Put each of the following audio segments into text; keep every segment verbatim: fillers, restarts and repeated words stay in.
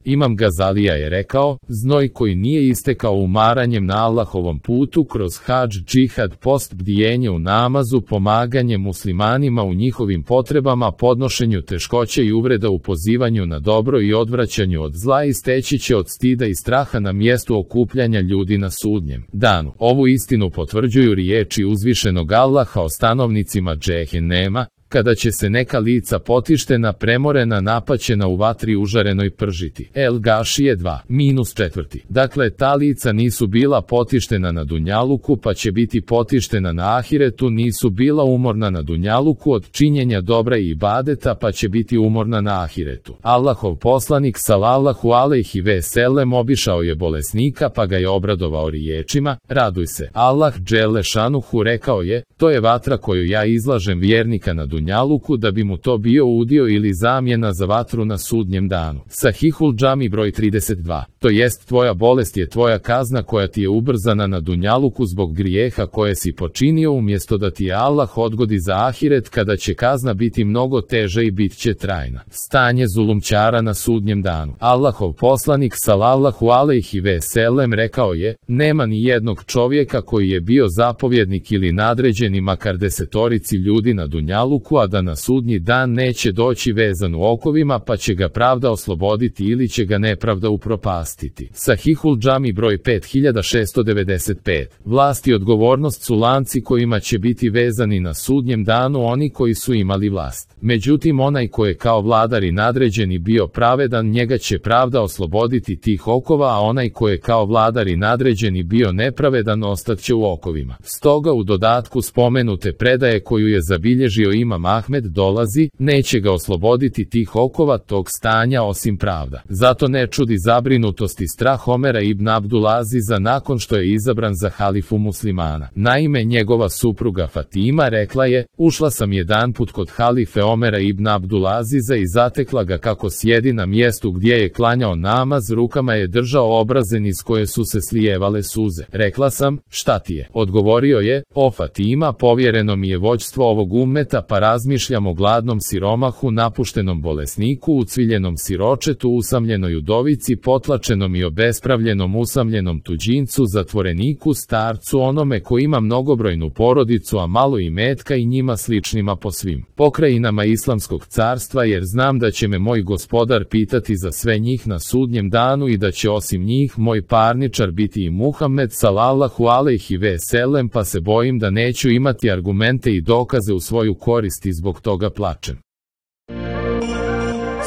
Imam Gazalija je rekao, znoj koji nije istekao umaranjem na Allahovom putu kroz hadž, džihad, post, bdijenje u namazu, pomaganje muslimanima u njihovim potrebama, podnošenju teškoće i uvreda u pozivanju na dobro i odvraćanju od zla, isteći će od stida i straha na mjestu okupljanja ljudi na sudnjem danu. Ovu istinu potvrđuju riječi uzvišenog Allaha o stanovnicima džehennema, kada će se neka lica potištena, premorena, napaćena u vatri užarenoj pržiti. El Gašije dva, minus četvrti. Dakle, ta lica nisu bila potištena na dunjaluku, pa će biti potištena na ahiretu, nisu bila umorna na dunjaluku od činjenja dobra i ibadeta, pa će biti umorna na ahiretu. Allahov poslanik salallahu alejhi ve sellem obišao je bolesnika, pa ga je obradovao riječima, raduj se. Allah dželle šanuhu rekao je, to je vatra koju ja izlažem vjernika na dunjaluku, Dunjaluku da bi mu to bio udio ili zamjena za vatru na sudnjem danu. Sahihul džami broj trideset dva. To jest, tvoja bolest je tvoja kazna koja ti je ubrzana na Dunjaluku zbog grijeha koje si počinio, umjesto da ti je Allah odgodi za ahiret kada će kazna biti mnogo teža i bit će trajna. Stanje zulumčara na sudnjem danu. Allahov poslanik salallahu alejhi ve sellem rekao je, nema ni jednog čovjeka koji je bio zapovjednik ili nadređeni makar desetorici ljudi na Dunjaluku, a da na sudnji dan neće doći vezan u okovima, pa će ga pravda osloboditi ili će ga nepravda upropastiti. Sahihul džami broj pet hiljada šessto devedeset pet. Vlast i odgovornost su lanci kojima će biti vezani na sudnjem danu oni koji su imali vlast. Međutim, onaj ko je kao vladar i nadređeni bio pravedan, njega će pravda osloboditi tih okova, a onaj ko je kao vladar i nadređeni bio nepravedan, ostaće u okovima. Stoga u dodatku spomenute predaje koju je zabilježio Imam Ahmed dolazi, neće ga osloboditi tih okova tog stanja osim pravda. Zato ne čudi zabrinutost i strah Omera ibn Abdulaziza nakon što je izabran za halifu muslimana. Naime, njegova supruga Fatima rekla je, ušla sam jedanput kod halife Omera ibn Abdulaziza i zatekla ga kako sjedi na mjestu gdje je klanjao namaz, rukama je držao obrazen iz koje su se slijevale suze. Rekla sam, šta ti je? Odgovorio je, o Fatima, povjereno mi je vođstvo ovog ummeta, pa razmišljam o gladnom siromahu, napuštenom bolesniku, ucviljenom siročetu, usamljenoj udovici, potlačenom i obespravljenom usamljenom tuđincu, zatvoreniku, starcu, onome ko ima mnogobrojnu porodicu, a malo imetka i njima sličnima po svim pokrajinama islamskog carstva, jer znam da će me moj gospodar pitati za sve njih na sudnjem danu i da će osim njih moj parničar biti i Muhammed salallahu alejhi ve sellem, pa se bojim da neću imati argumente i dokaze u svoju korist i zbog toga plačem.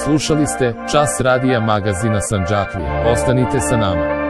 Slušali ste Čas radija magazina Sandžaklija. Ostanite sa nama.